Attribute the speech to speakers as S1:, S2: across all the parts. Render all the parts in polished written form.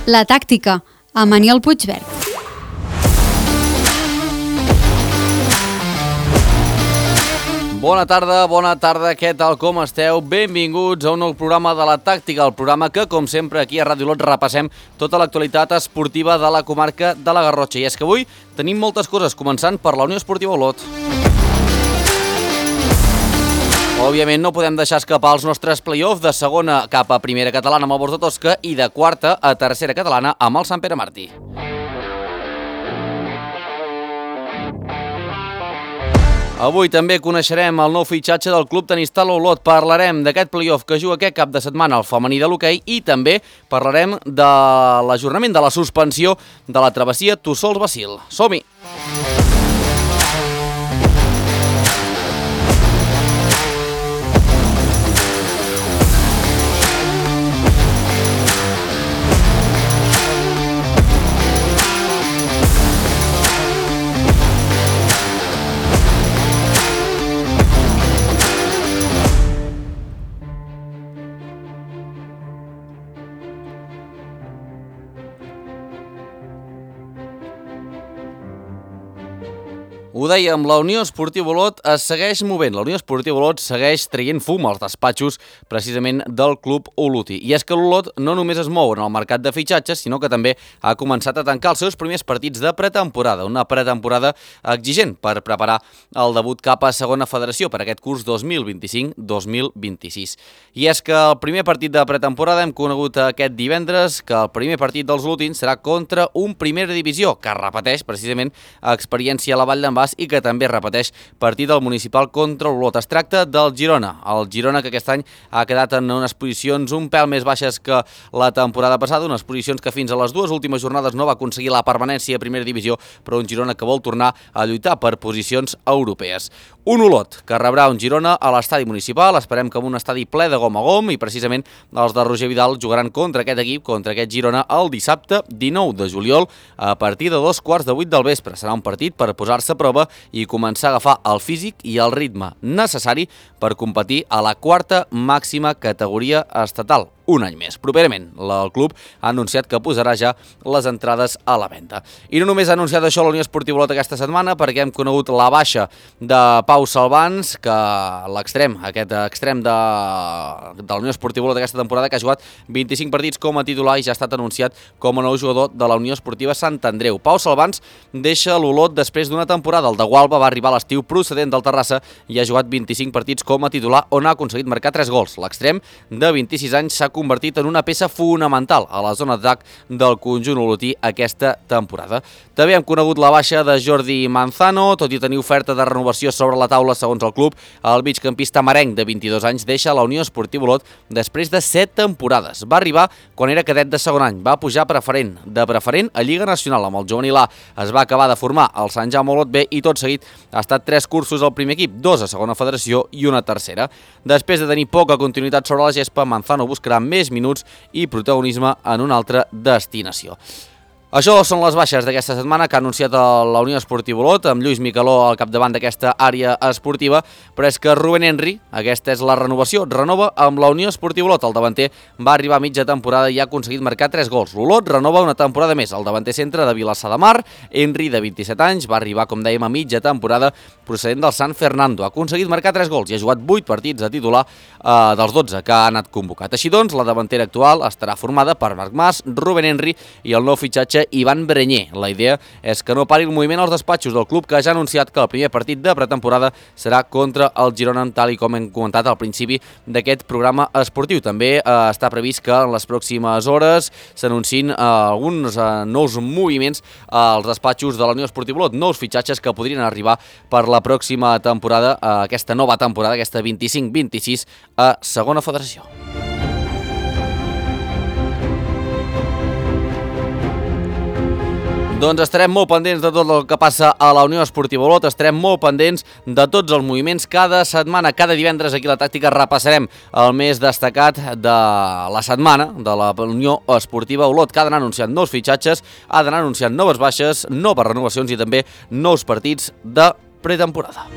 S1: La tàctica, amb Aniol Puigverd.
S2: Bona tarda, què tal, com esteu? Benvinguts a un nou programa de La Tàctica, el programa que, com sempre, aquí a Ràdio Olot repassem tota l'actualitat esportiva de la comarca de la Garrotxa. I és que avui tenim moltes coses, començant per la Unió Esportiva Olot. Òbviament no podem deixar escapar els nostres play-offs de segona cap a primera catalana amb el Bors de Tosca i de quarta a tercera catalana amb el Sant Pere Martí. Avui també coneixerem el nou fitxatge del Club Tenista Olot. Parlarem d'aquest play-off que juga aquest cap de setmana al femení de l'hoquei i també parlarem de l'ajornament de la suspensió de la travessia Tossols-Bacil. Som-hi! Ho dèiem, la Unió Esportiva Olot es segueix movent. La Unió Esportiva Olot segueix traient fum als despatxos precisament del club olotí. I és que l'Olot no només es mou en el mercat de fitxatges, sinó que també ha començat a tancar els seus primers partits de pretemporada. Una pretemporada exigent per preparar el debut cap a segona federació per aquest curs 2025-2026. I és que el primer partit de pretemporada hem conegut aquest divendres que el primer partit dels olotins serà contra un primera divisió que repeteix precisament experiència a la Vall d'en Bas i que també repeteix partit del municipal contra l'Olot. Es tracta del Girona. El Girona que aquest any ha quedat en unes posicions un pèl més baixes que la temporada passada, unes posicions que fins a les dues últimes jornades no va aconseguir la permanència a primera divisió, però un Girona que vol tornar a lluitar per posicions europees. Un Olot que rebrà un Girona a l'estadi municipal, esperem que amb un estadi ple de gom a gom i precisament els de Roger Vidal jugaran contra aquest equip, contra aquest Girona, el dissabte 19 de juliol a partir de 2:15 del vespre. Serà un partit per posar-se a prova i començar a agafar el físic i el ritme necessari per competir a la quarta màxima categoria estatal. Un any més. Properament, el club ha anunciat que posarà ja les entrades a la venda. I no només ha anunciat això la Unió Esportiva Olot aquesta setmana, perquè hem conegut la baixa de Pau Salvans, que l'extrem, aquest extrem de la Unió Esportiva Olot aquesta temporada, que ha jugat 25 partits com a titular i ja ha estat anunciat com a nou jugador de la Unió Esportiva Sant Andreu. Pau Salvans deixa l'Olot després d'una temporada. El de Gualba va arribar a l'estiu procedent del Terrassa i ha jugat 25 partits com a titular on ha aconseguit marcar 3 gols. L'extrem de 26 anys s'ha convertit en una peça fonamental a la zona d'atac del conjunt olotí aquesta temporada. També hem conegut la baixa de Jordi Manzano, tot i tenir oferta de renovació sobre la taula segons el club, el migcampista merenc de 22 anys deixa la Unió Esportiva Olot després de 7 temporades. Va arribar quan era cadet de segon any, va pujar preferent, de preferent a Lliga Nacional amb el juvenil A, es va acabar de formar al Sant Jaume Olot B i tot seguit ha estat 3 cursos al primer equip, 2 a segona federació i una tercera. Després de tenir poca continuïtat sobre la gespa, Manzano buscarà més minuts i protagonisme en una altra destinació. Això són les baixes d'aquesta setmana que ha anunciat la Unió Esportiva Olot, amb Lluís Micaló al capdavant d'aquesta àrea esportiva, però és que Rubén Henry, aquesta és la renovació, renova amb la Unió Esportiva Olot. El davanter va arribar a mitja temporada i ha aconseguit marcar 3 gols. L'Olot renova una temporada més. El davanter centre de Vilassar de Mar, Henry, de 27 anys, va arribar, com dèiem, a mitja temporada procedent del San Fernando. Ha aconseguit marcar 3 gols i ha jugat 8 partits a titular dels 12 que ha anat convocat. Així doncs, la davantera actual estarà formada per Marc Mas, Rubén Henry i el nou fitxatge Ivan Brenyer. La idea és que no pari el moviment als despatxos del club, que ja ha anunciat que el primer partit de pretemporada serà contra el Girona, tal i com hem comentat al principi d'aquest programa esportiu. També està previst que en les pròximes hores s'anunciïn alguns nous moviments als despatxos de la Unió Esportiva Olot, nous fitxatges que podrien arribar per la pròxima temporada, aquesta nova temporada, aquesta 25-26 a segona federació. Doncs estarem molt pendents de tot el que passa a la Unió Esportiva Olot, estarem molt pendents de tots els moviments cada setmana, cada divendres aquí a La Tàctica repassarem el més destacat de la setmana de la Unió Esportiva Olot, que ha d'anar anunciant nous fitxatges, ha d'anar anunciant noves baixes, noves renovacions i també nous partits de pretemporada.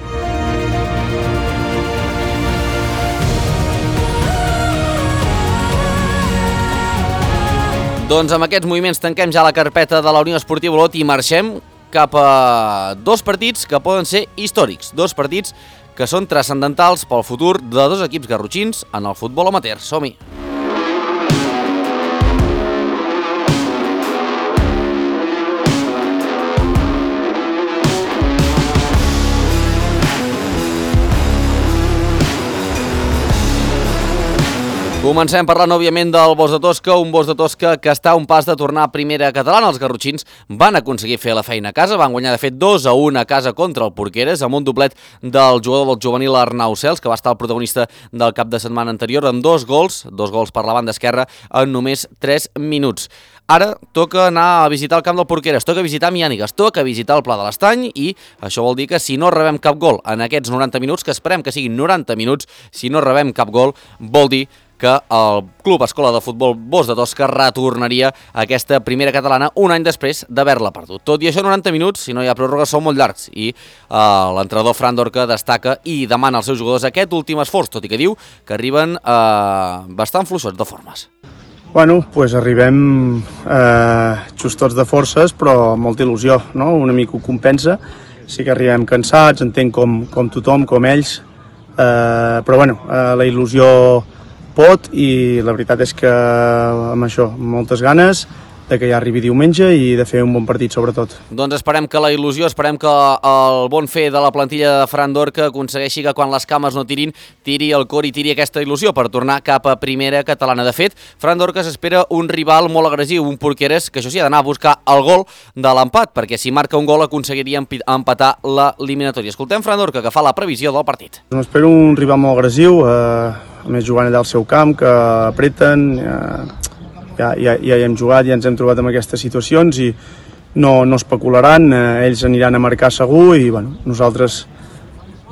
S2: Doncs amb aquests moviments tanquem ja la carpeta de la Unió Esportiva Olot i marxem cap a dos partits que poden ser històrics, dos partits que són transcendentals pel futur de dos equips garrotxins en el futbol amateur. Som-hi! Comencem parlant, òbviament, del Bos de Tosca, un Bos de Tosca que està a un pas de tornar a primera catalana. Els garrotxins van aconseguir fer la feina a casa, van guanyar, de fet, 2-1 a casa contra el Porqueres, amb un doblet del jugador del juvenil Arnau Cels, que va estar el protagonista del cap de setmana anterior, amb dos gols per la banda esquerra en només 3 minuts. Ara toca anar a visitar el camp del Porqueres, toca visitar Miànigues, toca visitar el Pla de l'Estany i això vol dir que si no rebem cap gol en aquests 90 minuts, que esperem que siguin 90 minuts, si no rebem cap gol, vol dir que el Club Escola de Futbol Bos de Tosca retornaria a aquesta primera catalana un any després d'haver-la perdut. Tot i això, 90 minuts, si no hi ha pròrroga, són molt llargs i l'entrenador Fran Dorca destaca i demana als seus jugadors aquest últim esforç, tot i que diu que arriben bastant fluixots de formes.
S3: Bueno, doncs arribem justots de forces, però amb molta il·lusió, no? Una mica ho compensa. Sí que arribem cansats, entenc com tothom, com ells, però bueno, la il·lusió pot i la veritat és que amb això, amb moltes ganes de que ja arribi diumenge i de fer un bon partit sobretot.
S2: Doncs esperem que la il·lusió, esperem que el bon fer de la plantilla de Fran Dorca aconsegueixi que quan les cames no tirin, tiri el cor i tiri aquesta il·lusió per tornar cap a primera catalana. De fet, Fran Dorca s'espera un rival molt agressiu, un Porqueres que això sí ha d'anar a buscar el gol de l'empat, perquè si marca un gol aconseguiria empatar l'eliminatòria. Escoltem Fran Dorca, que fa la previsió del partit.
S3: M'espero un rival molt agressiu, a més jugant allà al seu camp, que apreten, ja hi hem jugat, ja ens hem trobat en aquestes situacions i no especularan, ells aniran a marcar segur i bueno, nosaltres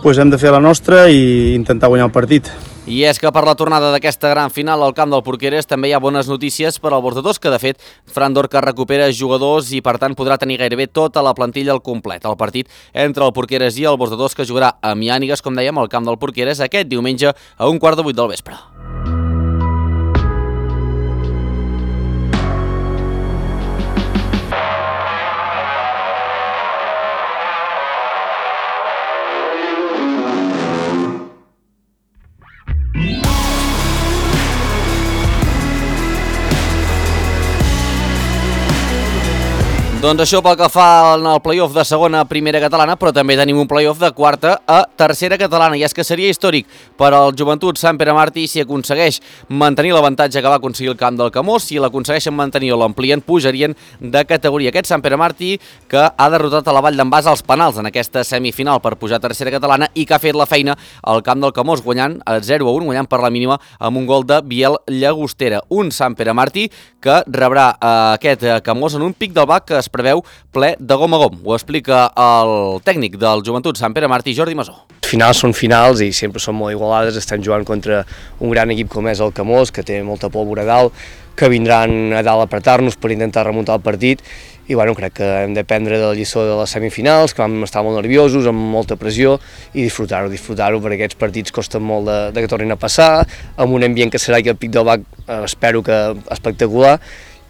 S3: hem de fer la nostra i intentar guanyar el partit.
S2: I és que per la tornada d'aquesta gran final al camp del Porqueres també hi ha bones notícies per al Bos de Tosca. De fet, Fran Dorca recupera jugadors i per tant podrà tenir gairebé tota la plantilla al complet. El partit entre el Porqueres i el Bos de Tosca jugarà a Miànigues, com dèiem, al camp del Porqueres aquest diumenge a 7:15 del vespre. Doncs això pel que fa al play-off de segona a primera catalana, però també tenim un play-off de quarta a tercera catalana, i és que seria històric per al Joventut Sant Pere Martí si aconsegueix mantenir l'avantatge que va aconseguir el camp del Camós. Si l'aconsegueixen mantenir o l'amplien, pujarien de categoria. Aquest Sant Pere Martí que ha derrotat a la Vall d'en Bas als penals en aquesta semifinal per pujar a tercera catalana i que ha fet la feina al camp del Camós, guanyant 0-1, guanyant per la mínima amb un gol de Biel Llagostera. Un Sant Pere Martí que rebrà aquest Camós en un pic del Bac que es preveu ple de gom a gom. Ho explica el tècnic del Joventut Sant Pere Martí, Jordi Masó.
S4: Finals són finals i sempre són molt igualades, estan jugant contra un gran equip com és el Camós, que té molta pólvora a dalt, que vindran a dalt a apretar-nos per intentar remuntar el partit i bueno, crec que hem d'aprendre de la lliçó de les semifinals, que vam estar molt nerviosos, amb molta pressió i disfrutar-ho, perquè aquests partits costen molt de que tornin a passar, amb un ambient que serà aquí al Pic del Bac, espero que espectacular.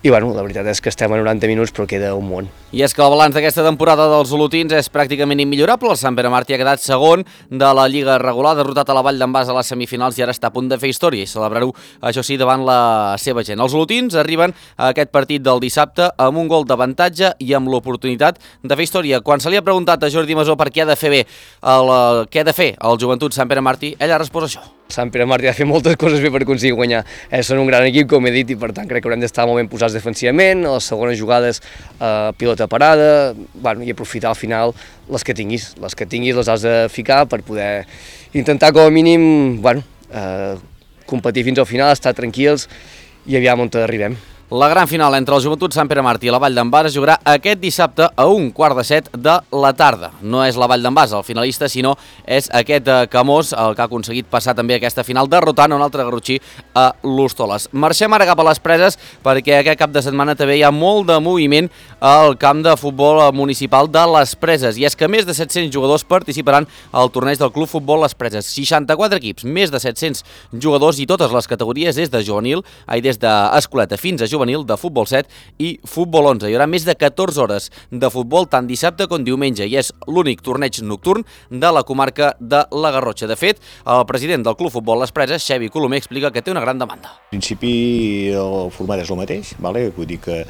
S4: I bueno, la veritat és que estem a 90 minuts però queda un món.
S2: I és que el balanç d'aquesta temporada dels olotins és pràcticament immillorable. El Sant Pere Martí ha quedat segon de la Lliga regular, derrotat a la Vall d'en Bas a les semifinals i ara està a punt de fer història i celebrar-ho, això sí, davant la seva gent. Els olotins arriben a aquest partit del dissabte amb un gol d'avantatge i amb l'oportunitat de fer història. Quan se li ha preguntat a Jordi Masó per què ha de fer què ha de fer el Joventut Sant Pere Martí, ell ha respost això.
S4: Sant Pere Martí ha de fer moltes coses bé per aconseguir guanyar. Són un gran equip, com he dit, i per tant crec que haurem d'estar molt ben posats defensivament, a les segones jugades pilota parada, i aprofitar al final les que tinguis les has de ficar per poder intentar com a mínim competir fins al final, estar tranquils i aviam on arribem.
S2: La gran final entre el Joventut Sant Pere Martí i la Vall d'en Bas es jugarà aquest dissabte a 7:15 de la tarda. No és la Vall d'en Bas el finalista, sinó és aquest Camós el que ha aconseguit passar també aquesta final derrotant un altre garrotxí a l'Hostoles. Marxem ara cap a les Preses perquè aquest cap de setmana també hi ha molt de moviment al camp de futbol municipal de les Preses i és que més de 700 jugadors participaran al torneig del Club Futbol Les Preses. 64 equips, més de 700 jugadors i totes les categories des de juvenil, des d'escoleta fins a juvenil, juvenil de futbol 7 i futbol 11. Hi haurà més de 14 hores de futbol tant dissabte com diumenge i és l'únic torneig nocturn de la comarca de la Garrotxa. De fet, el president del Club Futbol Les Preses, Xevi Colomer, explica que té una gran demanda.
S5: En principi el format és el mateix, vale? Vull dir que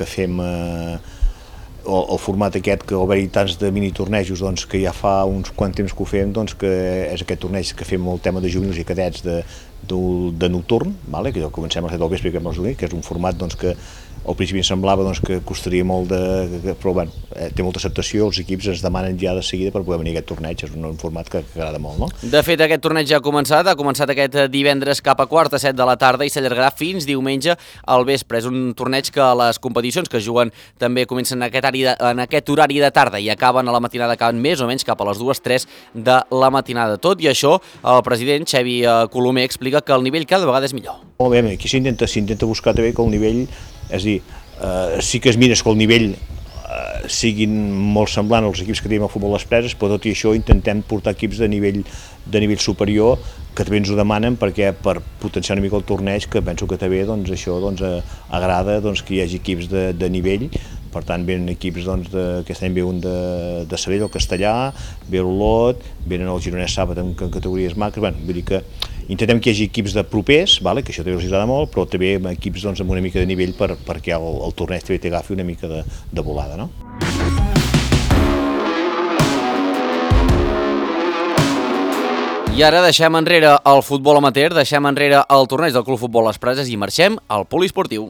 S5: fem el format aquest, que haver-hi tants de minitornejos, doncs, que ja fa uns quant temps que ho fem, doncs, que és aquest torneig que fem el tema de juvenils i cadets de nocturn, vale? Que comencem a les 7 del vespre, que és un format doncs, que al principi em semblava doncs, que costaria molt però bueno, té molta acceptació, els equips ens demanen ja de seguida per poder venir a aquest torneig, és un format que agrada molt, no?
S2: De fet, aquest torneig ja ha començat aquest divendres cap a quart a 7 de la tarda i s'allargarà fins diumenge al vespre. És un torneig que les competicions que es juguen també comencen en aquest horari de tarda i acaben a la matinada, acaben més o menys cap a les 2-3 de la matinada. Tot i això, el president Xevi Colomer explica que el nivell cada vegada és millor.
S5: Molt bé, aquí s'intenta buscar també que el nivell, és a dir, sí que es mira que el nivell siguin molt semblant als equips que tenim al Futbol Les Preses, però tot i això intentem portar equips de nivell superior, que també ens ho demanen per potenciar una mica el torneig, que penso que també doncs, això agrada que hi hagi equips de nivell. Per tant, venen equips que aquest any ve un de Sabell, el Castellà, ve l'Olot, venen el Gironès Sàbat en categories macres, vull dir que intentem que hi hagi equips de propers, que això també els agrada molt, però també equips amb una mica de nivell perquè el torneig també t'agafi una mica de volada, no?
S2: I ara deixem enrere el futbol amateur, deixem enrere el torneig del Club Futbol Les Preses i marxem al poliesportiu.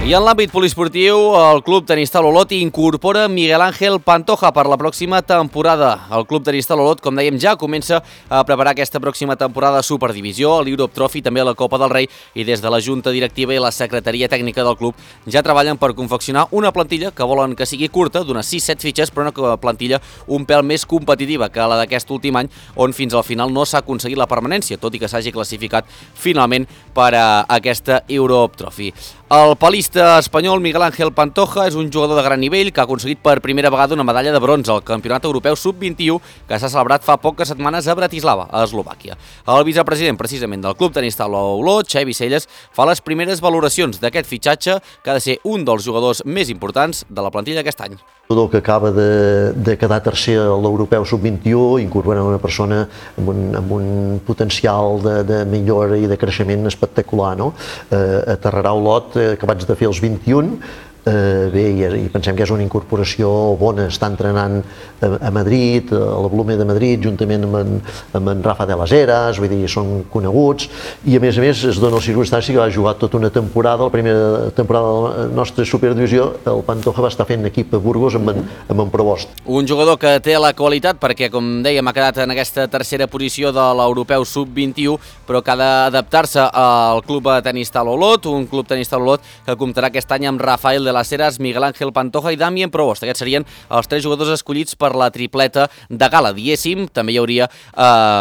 S2: I en l'àmbit poliesportiu, el Club Tenista Olot incorpora Miguel Ángel Pantoja per la pròxima temporada. El Club Tenista Olot, com dèiem, ja comença a preparar aquesta pròxima temporada de Superdivisió, a l'Europe Trophy, també a la Copa del Rei, i des de la Junta Directiva i la Secretaria Tècnica del club ja treballen per confeccionar una plantilla que volen que sigui curta, d'unes 6-7 fitxes, però una plantilla un pèl més competitiva que la d'aquest últim any, on fins al final no s'ha aconseguit la permanència, tot i que s'hagi classificat finalment per a aquesta Europe Trophy. El palista espanyol Miguel Ángel Pantoja és un jugador de gran nivell que ha aconseguit per primera vegada una medalla de bronze al Campionat Europeu Sub-21 que s'ha celebrat fa poques setmanes a Bratislava, a Eslovàquia. El vicepresident precisament del Club Tenista Olot, Xevi Celles, fa les primeres valoracions d'aquest fitxatge que ha de ser un dels jugadors més importants de la plantilla aquest any.
S6: Un jugador que acaba de quedar tercer a l'Europeu Sub-21, incorporant una persona amb un potencial de millora i de creixement espectacular, no? Aterrarà Olot, acabats de fer els 21, bé, i pensem que és una incorporació bona. Està entrenant a Madrid, a la Blume de Madrid, juntament amb en Rafa de las Heras, vull dir, són coneguts, i a més es dona la circumstància que va jugar tota una temporada, la primera temporada de la nostra Superdivisió, el Pantoja va estar fent equip a Burgos amb en Provost.
S2: Un jugador que té la qualitat perquè, com dèiem, ha quedat en aquesta tercera posició de l'Europeu Sub-21, però que ha d'adaptar-se al Club Tenista Olot, un Club Tenista Olot que comptarà aquest any amb Rafael de las Heras, Miguel Ángel Pantoja i Damien Provost. Aquests serien els 3 jugadors escollits per la tripleta de gala. Diguéssim, també hi hauria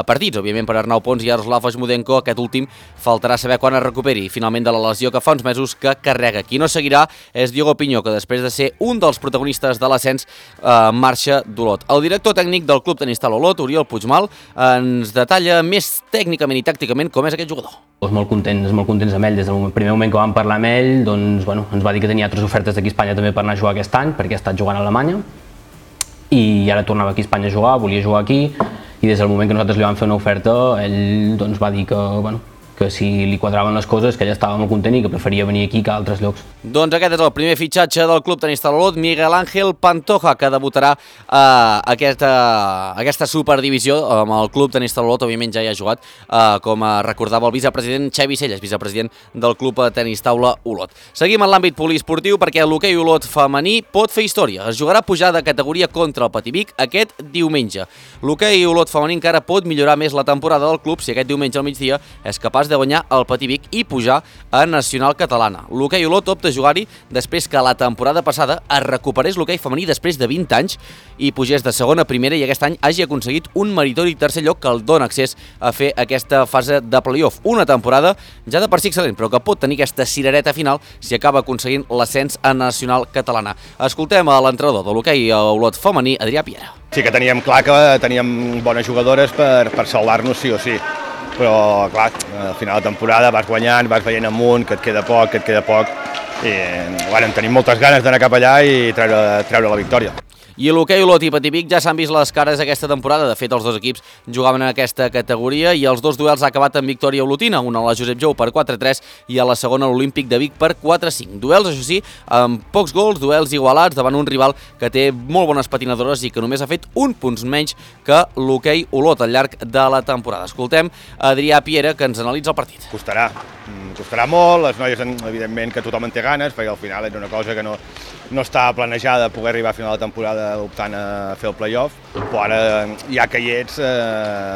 S2: partits, òbviament, per Arnau Pons i Jaroslav Ajmudenko. Aquest últim faltarà saber quan es recuperi finalment de la lesió que fa uns mesos que carrega. Qui no seguirà és Diogo Pinyó, que després de ser un dels protagonistes de l'ascens marxa d'Olot. El director tècnic del Club Tenista Olot, Oriol Puigmal, ens detalla més tècnicament i tàcticament com és aquest jugador.
S7: Molt contents amb ell. Des del primer moment que vam parlar amb ell, doncs, ens va dir que tenia altres ofertes d'aquí a Espanya també per anar a jugar aquest any, perquè ha estat jugant a Alemanya, i ara tornava aquí a Espanya a jugar, volia jugar aquí, i des del moment que nosaltres li vam fer una oferta, ell va dir que si li quadraven les coses, que ella estava molt content i que preferia venir aquí que a altres llocs.
S2: Doncs aquest és el primer fitxatge del Club Tenista Olot, Miguel Ángel Pantoja, que debutarà a aquesta Superdivisió amb el Club Tenista Olot. Òbviament ja hi ha jugat, com recordava el vicepresident Xevi Celles, vicepresident del Club Tenista Olot. Seguim en l'àmbit poliesportiu perquè l'hoquei Olot femení pot fer història. Es jugarà pujar de categoria contra el Pativic aquest diumenge. L'hoquei Olot femení encara pot millorar més la temporada del club si aquest diumenge al migdia és capaç de guanyar el Pativic i pujar a Nacional Catalana. L'hoquei Olot opta de jugar-hi després que la temporada passada es recuperés l'hoquei femení després de 20 anys i pugés de segona a primera i aquest any hagi aconseguit un meritori tercer lloc que el dona accés a fer aquesta fase de play-off. Una temporada ja de per si excel·lent, però que pot tenir aquesta cirereta final si acaba aconseguint l'ascens a Nacional Catalana. Escoltem a l'entrenador de l'hoquei a Olot femení, Adrià Piera.
S8: Sí que teníem clar que teníem bones jugadores per salvar-nos sí o sí, però clar, al final de temporada vas guanyant, vas veient amunt, que et queda poc, i bueno, tenim moltes ganes d'anar cap allà i treure la victòria.
S2: I l'hoquei Olot i Pativic ja s'han vist les cares aquesta temporada. De fet, els dos equips jugaven en aquesta categoria i els dos duels ha acabat en victòria olotina, una a la Josep Jou per 4-3 i a la segona l'Olímpic de Vic per 4-5. Duels, això sí, amb pocs gols, duels igualats davant un rival que té molt bones patinadores i que només ha fet un punt menys que l'hoquei Olot al llarg de la temporada. Escoltem Adrià Piera, que ens analitza el partit.
S8: Costarà molt, les noies evidentment que tothom en té ganes, perquè al final és una cosa que no està planejada poder arribar a final de temporada optant a fer el play-off, però ara ja que hi ets,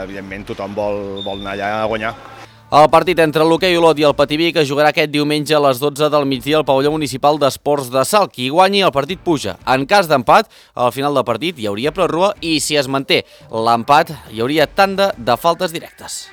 S8: evidentment tothom vol anar allà a guanyar.
S2: El partit entre l'hoquei Olot i el Pativic es jugarà aquest diumenge a les 12 del migdia al pavelló municipal d'esports de Salt. Qui guanyi el partit puja. En cas d'empat, al final del partit hi hauria pròrroga i si es manté l'empat hi hauria tanda de faltes directes.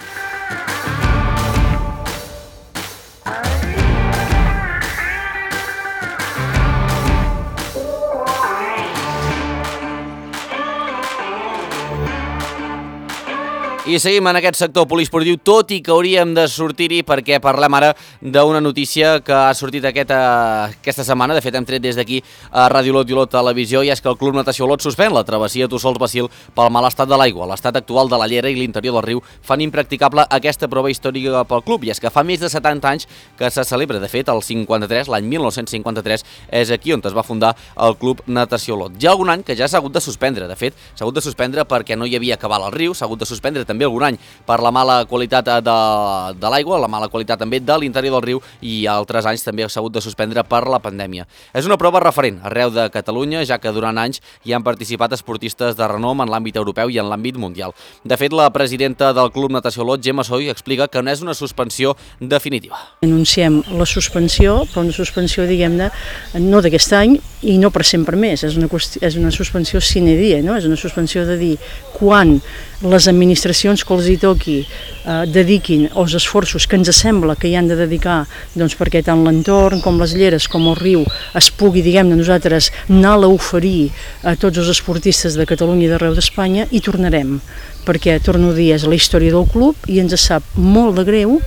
S2: I seguim en aquest sector poliesportiu, tot i que hauríem de sortir-hi perquè parlem ara d'una notícia que ha sortit aquesta setmana. De fet, hem tret des d'aquí a Ràdio Olot i Olot Televisió, i és que el Club Natació Olot suspèn la travessia Tossols-Bacil pel mal estat de l'aigua. L'estat actual de la llera i l'interior del riu fan impracticable aquesta prova històrica pel club, i és que fa més de 70 anys que se celebra. De fet, el 53, l'any 1953, és aquí on es va fundar el Club Natació Olot. Hi ha algun any que ja s'ha hagut de suspendre. De fet, s'ha hagut de suspendre perquè no hi havia cabal al riu, s'ha hagut de suspendre també algun any per la mala qualitat de l'aigua, la mala qualitat també de l'interior del riu, i altres anys també s'ha hagut de suspendre per la pandèmia. És una prova referent arreu de Catalunya, ja que durant anys hi han participat esportistes de renom en l'àmbit europeu i en l'àmbit mundial. De fet, la presidenta del Club Natació Olot, Gemma Soy, explica que no és una suspensió definitiva.
S9: Anunciem la suspensió, però una suspensió, diguem-ne, no d'aquest any i no per sempre més. És una suspensió sine die, no? És una suspensió de dir quan les administracions que els hi toqui dediquin els esforços que ens sembla que hi han de dedicar, doncs perquè tant l'entorn com les lleres com el riu es pugui, diguem-ne, nosaltres anar-la a oferir a tots els esportistes de Catalunya i d'arreu d'Espanya, i tornarem, perquè, torno a dir, és la història del club i ens sap molt de greu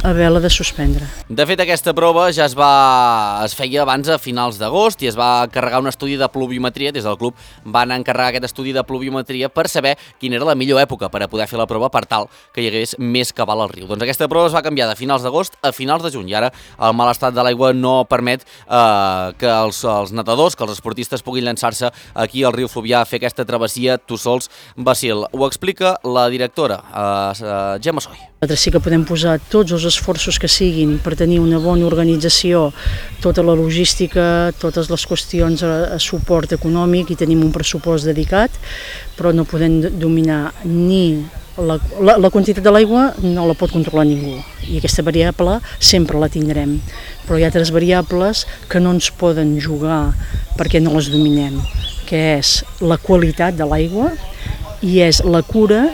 S9: haver-la de suspendre.
S2: De fet, aquesta prova ja es feia abans a finals d'agost i es va encarregar un estudi de pluviometria. Des del club van encarregar aquest estudi de pluviometria per saber quina era la millor època per a poder fer la prova per tal que hi hagués més cabal al riu. Doncs aquesta prova es va canviar de finals d'agost a finals de juny i ara el mal estat de l'aigua no permet que els nedadors, que els esportistes puguin llançar-se aquí al riu Fluvià a fer aquesta travessia Tossols-Bacil. Ho explica la directora, Gemma Soy.
S9: Nosaltres sí que podem posar tots els esforços que siguin per tenir una bona organització, tota la logística, totes les qüestions a suport econòmic, i tenim un pressupost dedicat, però no podem dominar ni la quantitat de l'aigua, no la pot controlar ningú, i aquesta variable sempre la tindrem, però hi ha altres variables que no ens poden jugar perquè no les dominem, que és la qualitat de l'aigua i és la cura,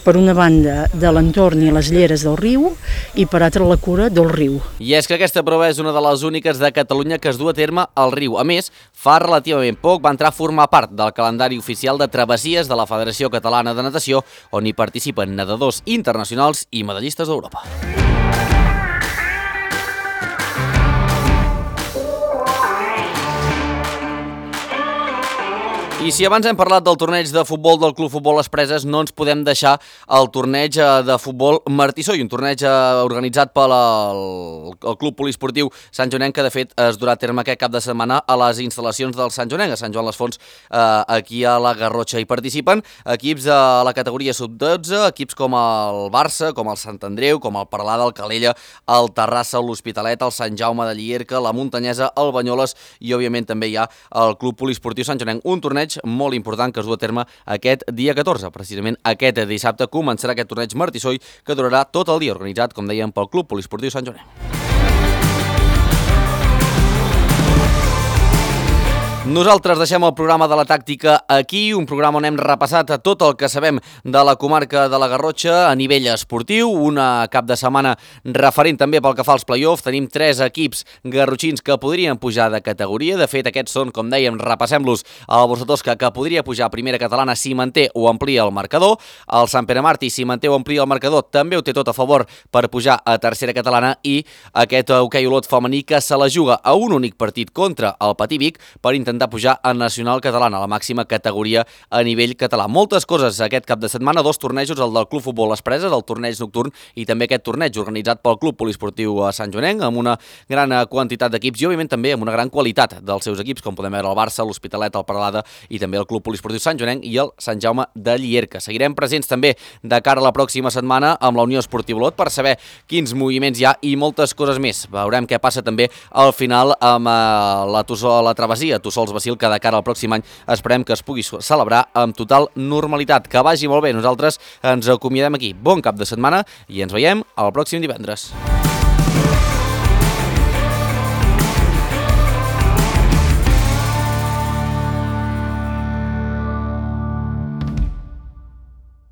S9: per una banda, de l'entorn i les lleres del riu, i per altra la cura del riu.
S2: I és que aquesta prova és una de les úniques de Catalunya que es du a terme al riu. A més, fa relativament poc va entrar a formar part del calendari oficial de travessies de la Federació Catalana de Natació, on hi participen nedadors internacionals i medallistes d'Europa. I si abans hem parlat del torneig de futbol del Club Futbol Les Preses, no ens podem deixar el torneig de futbol Martí Soy, un torneig organitzat pel Club Poliesportiu Sant Joanenc, que de fet es durà a terme aquest cap de setmana a les instal·lacions del Sant Joanenc, a Sant Joan les Fonts, aquí a la Garrotxa. Hi participen equips de la categoria sub-12, equips com el Barça, com el Sant Andreu, com el Peralada, el Calella, el Terrassa, l'Hospitalet, el Sant Jaume de Llierca, la Muntanyesa, el Banyoles i, òbviament, també hi ha el Club Poliesportiu Sant Joanenc. Un torneig molt important que es du a terme aquest dia 14. Precisament aquest dissabte començarà aquest torneig Martí Soy, que durarà tot el dia, organitzat, com dèiem, pel Club Poliesportiu Sant Joanenc. Nosaltres deixem el programa de la tàctica aquí, un programa on hem repassat tot el que sabem de la comarca de la Garrotxa a nivell esportiu, una cap de setmana referent també pel que fa als play-offs. Tenim 3 equips garrotxins que podrien pujar de categoria, de fet aquests són, com dèiem, repassem-los, el Borsatosca, que podria pujar a primera catalana si manté o amplia el marcador, el Sant Pere Martí, si manté o amplia el marcador, també ho té tot a favor per pujar a tercera catalana, i aquest hoquei Olot femení que se la juga a un únic partit contra el Patí Vic per intentar pujar a Nacional Catalana, la màxima categoria a nivell català. Moltes coses aquest cap de setmana, 2 tornejos, el del Club Futbol Les Preses, el torneig nocturn, i també aquest torneig organitzat pel Club Poliesportiu Sant Joanenc, amb una gran quantitat d'equips i, òbviament, també amb una gran qualitat dels seus equips, com podem veure el Barça, l'Hospitalet, el Peralada i també el Club Poliesportiu Sant Joanenc i el Sant Jaume de Llierca. Seguirem presents també de cara a la pròxima setmana amb la Unió Esportiva Olot per saber quins moviments hi ha i moltes coses més. Veurem què passa també al final amb la travessia Tussols-Bacil, que de cara al pròxim any esperem que es pugui celebrar amb total normalitat. Que vagi molt bé. Nosaltres ens acomiadem aquí. Bon cap de setmana i ens veiem el pròxim divendres.